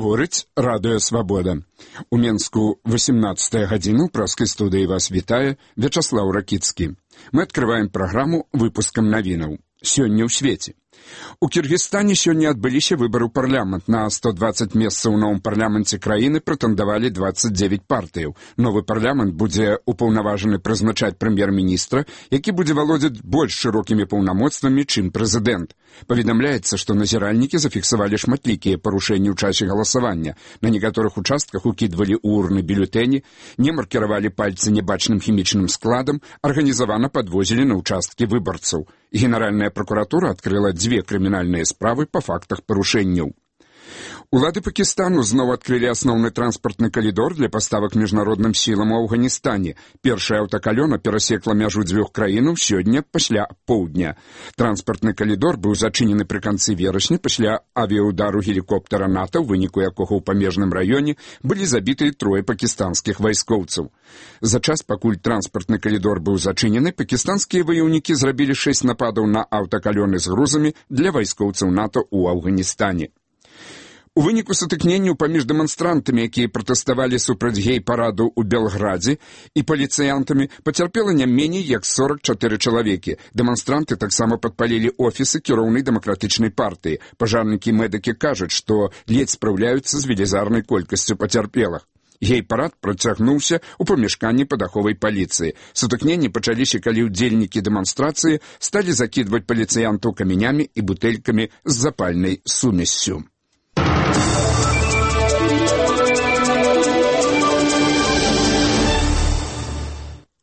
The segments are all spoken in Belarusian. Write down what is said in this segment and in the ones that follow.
Гаворыць радыё «Свабода». У Менску 18 гадзіна ў праскай студыі вас вітае Вячаслаў Ракіцкі. Мы адкрываем праграму выпускам навінаў. Сёння ў свеце. У Кіргізстане сёння адбыліся выбары ў парламент. На 120 месцаў у новым парламенце краіны прэтэндавалі 29 партыяў. Новы парламент будзе упаўнаважаны прызначаць прэм'ер-міністра, які будзе валодзіць больш шырокімі паўнамоцтвамі, чым прэзідэнт. Паведамляецца, што назіральнікі зафіксавалі шматлікія парушэнні ў часе галасавання. На некаторых участках укідвалі ў урны бюлетэні, не маркіравалі пальцы небачным хімічным складам, арганізавана падвозілі на участкі выбарцаў. Генеральная прокуратура адкрыла 2 крымінальныя справы па фактах парушэнняў. Улады Пакістану зноў адкрылі асноўны транспартны калідор для паставак міжнародным сілам у Афганістане. Першая аўтакалёна перасекла мяжу 2 краінаў сёння пасля поўдня. Транспартны калідор быў зачынены пры канцы верасня пасля авіяудару гелікоптера НАТО, у выніку якога ў памежным раёне былі забіты 3 пакістанскіх вайскоўцаў. За час, пакуль транспартны калідор быў зачынены, пакістанскія ваяўнікі зрабілі 6 нападаў на аўтакалёны з грузамі для вайскоўцаў НАТО ў Афганістане. У выніку сутыкненняў паміж дэманстрантамі, якія пратэставалі супраць гей-параду ў Белградзе, і паліцыянтамі пацярпела не меней як 44 чалавекі. Дэманстранты таксама падпалілі офісы кіроўнай дэмакратычнай партыі. Пажарнікі і медыкі кажуць, што ледзь спраўляюцца з велізарнай колькасцю пацярпелых. Гей-парад працягнуўся ў памяшканні падаховай паліцыі. Сутыкненні пачаліся, калі ўдзельнікі дэманстрацыі сталі закідваць паліцыянтаў камянямі і бутэлькамі з запальнай сумессю.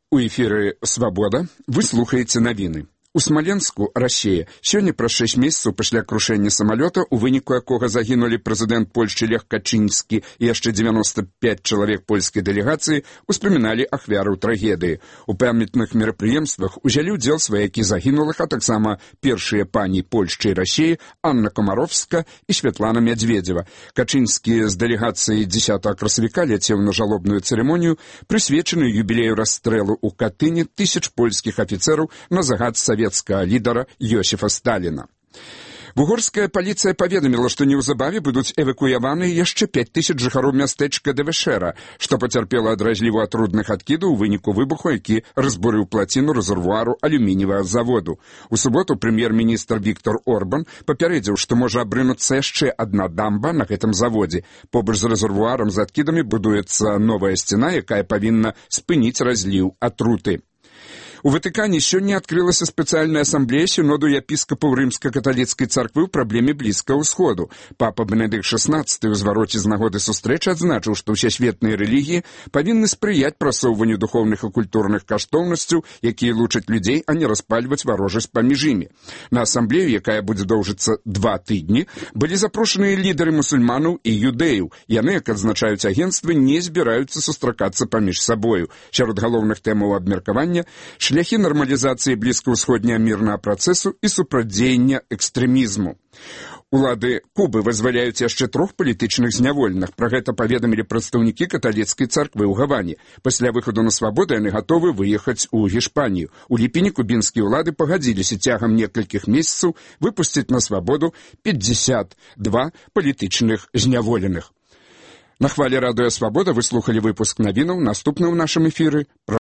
У эфіры «Свабода» вы слухаеце навіны. У Смаленску, Расія, сёння праз 6 месяцаў пасля крушэння самалёта, у выніку якога загінулі прэзідэнт Польшчы Лех Качынскі і яшчэ 95 чалавек польскай дэлегацыі, успаміналі ахвяраў трагедыі. У памятных мерапрыемствах узялі ўдзел сваякі загінулых, а таксама першыя пані Польшчы і Расіі Анна Комаровска і Святлана Мядзведзева. Качынскі з дэлегацыяй 10 красавіка ляцеў на жалобную цырымонію, прысвечаную юбілею расстрэлу ў Катыні тысяч польскіх афіцэраў на загад савецкага лідара Йосіфа Сталіна. Вугорская паліцыя паведаміла, што неўзабаве будуць эвакуяваны яшчэ 5000 жыхароў мястэчка Дэвешэра, што пацярпела ад разліву атрудных адкідаў у выніку выбуху, які разбурыў плаціну рэзервуару алюмініевага заводу. У суботу прэм'ер-міністр Віктор Орбан папярэдзіў, што можа абрынуцца яшчэ адна дамба на гэтым заводзе. Побач з рэзервуарам з адкідамі будуецца новая сцяна, якая павінна спыніць разліў атруты. У Ватыкане сёння адкрылася спецыяльная асамблея сіноду епіскапаў рымска-каталіцкай царквы ў праблеме Блізкага ўсходу. Папа Бенедыкт XVI ў звароце з нагоды сустрэчы адзначыў, што ўсесветныя рэлігіі павінны спрыяць прасоўванню духоўных і культурных каштоўнасцяў, якія лучаць людзей, а не распальваць варожасць паміж імі. На асамблею, якая будзе доўжыцца 2 тыдні, былі запрошаныя лідары мусульманаў і юдэяў. Яны, як адзначаюць агенцтвы, не збіраюцца сустракацца паміж сабою. Сярод галоўных тэмаў абмеркавання шляхі нармалізацыі блізкаўсходняга мірнага працэсу і супрацьдзеяння экстрэмізму. Улады Кубы вызваляюць яшчэ 3 палітычных зняволеных. Пра гэта паведамілі прадстаўнікі каталіцкай царквы ў Гаване. Пасля выхаду на свабоду яны гатовы выехаць у Гішпанію. У ліпені кубінскія ўлады пагадзіліся цягам некалькіх месяцаў выпусціць на свабоду 52 палітычных зняволеных. На хвалі радыё «Свабода» вы слухалі выпуск навінаў. Наступны ў нашым эфіры